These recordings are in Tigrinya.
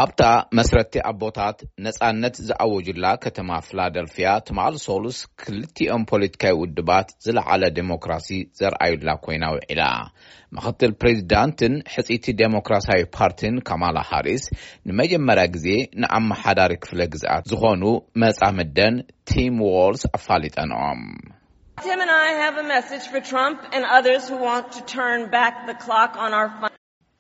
ኣብታ መስረቲ ኣቦታት ነጻነት ዝኣወጁላ ከተማ ፊላደልፊያ፣ ትማሊ ሶሉስ ክልቲኦም ፖለቲካዊ ውድባት ዝለዓለ ዴሞክራሲ ዘርኣዩላ ኮይና ውዒላ። ምኽትል ፕሬዚዳንትን ሕጽይቲ ዴሞክራሲያዊ ፓርቲን ካማላ ሃሪስ ንመጀመርያ ግዜ ንኣመሓዳሪ ክፍለ ግዝኣት ዝኾኑ መጻምደን ቲም ዎልስ ኣፋሊጠንኦም። Tim and I have a message for Trump and others who want to turn back the clock on our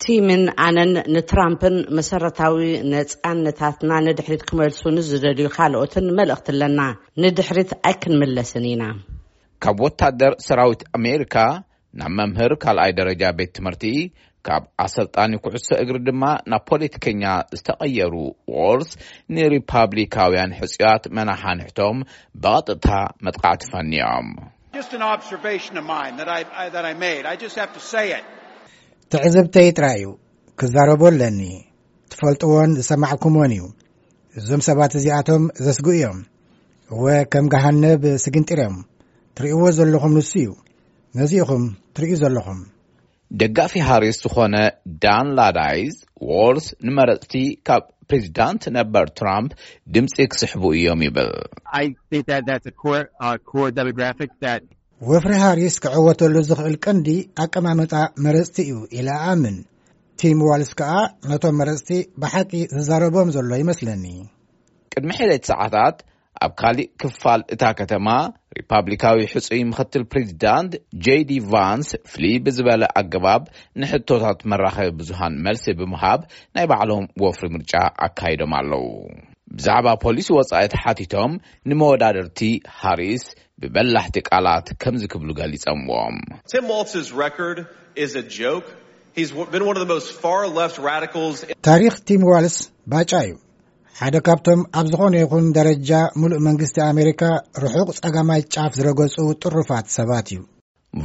ቲምን ኣነን ንትራምፕን መሰረታዊ ነጻነታትና ንድሕሪት ክመልሱ ንዝደልዩ ካልኦትን መልእኽቲ ኣለና። ንድሕሪት ኣይክንምለስን ኢና። ካብ ወታደር ሰራዊት ኣሜሪካ ናብ መምህር ካልኣይ ደረጃ ቤት ትምህርቲ፣ ካብ ኣሰልጣኒ ኩዕሶ እግሪ ድማ ናብ ፖለቲከኛ ዝተቐየሩ ዎልስ፣ ንሪፓብሊካውያን ሕጽያት መናሓንሕቶም ብቐጥታ መጥቃዕቲ ፈንዮም። Just an observation of mine that I, I that I made. I just have to say it. ትዕዝብተይ ጥራይ እዩ፣ ክዛረቦ ኣለኒ። ትፈልጥዎን ዝሰማዕኩምዎን እዩ። እዞም ሰባት እዚኣቶም ዘስግኡ እዮም። እወ፣ ከም ገሃነብ ስግንጢር እዮም። ትርእይዎ ዘለኹም ንሱ እዩ። ነዚኢኹም ትርእዩ ዘለኹም። ደጋፊ ሃሪስ ዝኾነ ዳን ላዳይዝ፣ ዎልስ ንመረጽቲ ካብ ፕሬዚዳንት ነበር ትራምፕ ድምፂ ክስሕቡ እዮም ይብል። I think that that's a core uh, core demographic that ወፍሪ ሃሪስ ክዕወተሉ ዝኽእል ቀንዲ ኣቀማምጣ መረጽቲ እዩ ኢለ ኣኣምን። ቲም ዋልስ ከኣ ነቶም መረጽቲ ብሓቂ ዝዛረቦም ዘሎ ይመስለኒ። ቅድሚ ሒደት ሰዓታት ኣብ ካሊእ ክፋል እታ ከተማ፣ ሪፓብሊካዊ ሕጹይ ምኽትል ፕሬዚዳንት ጄዲ ቫንስ ፍልይ ብዝበለ ኣገባብ ንሕቶታት መራኸቢ ብዙሃን መልሲ ብምሃብ ናይ ባዕሎም ወፍሪ ምርጫ ኣካይዶም ኣለዉ። ብዛዕባ ፖሊሲ ወጻኢ ተሓቲቶም፣ ንመወዳድርቲ ሃሪስ ብበላሕቲ ቃላት ከምዚ ክብሉ ገሊጸምዎም። Tim Walz's record is a joke. He's been one of the most far left radicals. ታሪኽ ቲም ዋልስ ባጫ እዩ። ሓደ ካብቶም ኣብ ዝኾነ ይኹን ደረጃ ሙሉእ መንግስቲ ኣሜሪካ ርሑቕ ጸጋማይ ጫፍ ዝረገጹ ጥሩፋት ሰባት እዩ።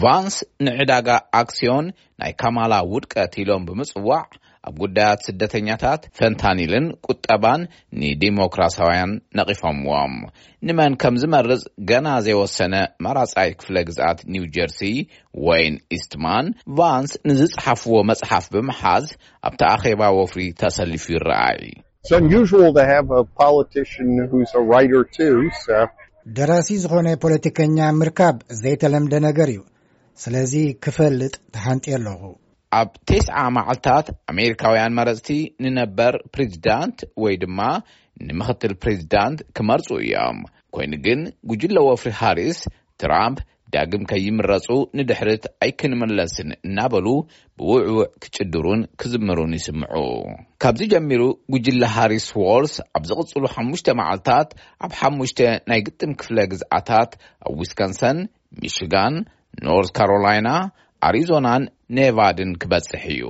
ቫንስ ንዕዳጋ ኣክስዮን ናይ ካማላ ውድቀት ኢሎም ብምጽዋዕ፣ ኣብ ጉዳያት ስደተኛታት፣ ፈንታኒልን ቁጠባን ንዲሞክራሲያውያን ነቒፎምዎም። ንመን ከም ዝመርጽ ገና ዘይወሰነ መራጻይ ክፍለ ግዝኣት ኒው ጀርሲ፣ ወይን ኢስትማን፣ ቫንስ ንዝጸሓፍዎ መጽሓፍ ብምሓዝ ኣብቲ ኣኼባ ወፍሪ ተሰሊፉ ይረኣይ። It's unusual to have a politician who's a writer too, so ደራሲ ዝኾነ ፖለቲከኛ ምርካብ ዘይተለምደ ነገር እዩ። ስለዚ ክፈልጥ ተሓንጥየ ኣለኹ። ኣብ ተስዓ መዓልታት ኣሜሪካውያን መረጽቲ ንነበር ፕሬዚዳንት ወይ ድማ ንምኽትል ፕሬዚዳንት ክመርጹ እዮም። ኮይኑ ግን ጉጅለ ወፍሪ ሃሪስ፣ ትራምፕ ዳግም ከይምረጹ ንድሕሪት ኣይክንምለስን እናበሉ ብውዕውዕ ክጭድሩን ክዝምሩን ይስምዑ። ካብዚ ጀሚሩ ጉጅለ ሃሪስ ዎልስ ኣብ ዝቕጽሉ ሓሙሽተ መዓልታት ኣብ ሓሙሽተ ናይ ግጥም ክፍለ ግዝኣታት፣ ኣብ ዊስኮንሰን፣ ሚሽጋን፣ ኖርዝ ካሮላይና፣ ኣሪዞናን ኔቫድን ክበጽሕ እዩ።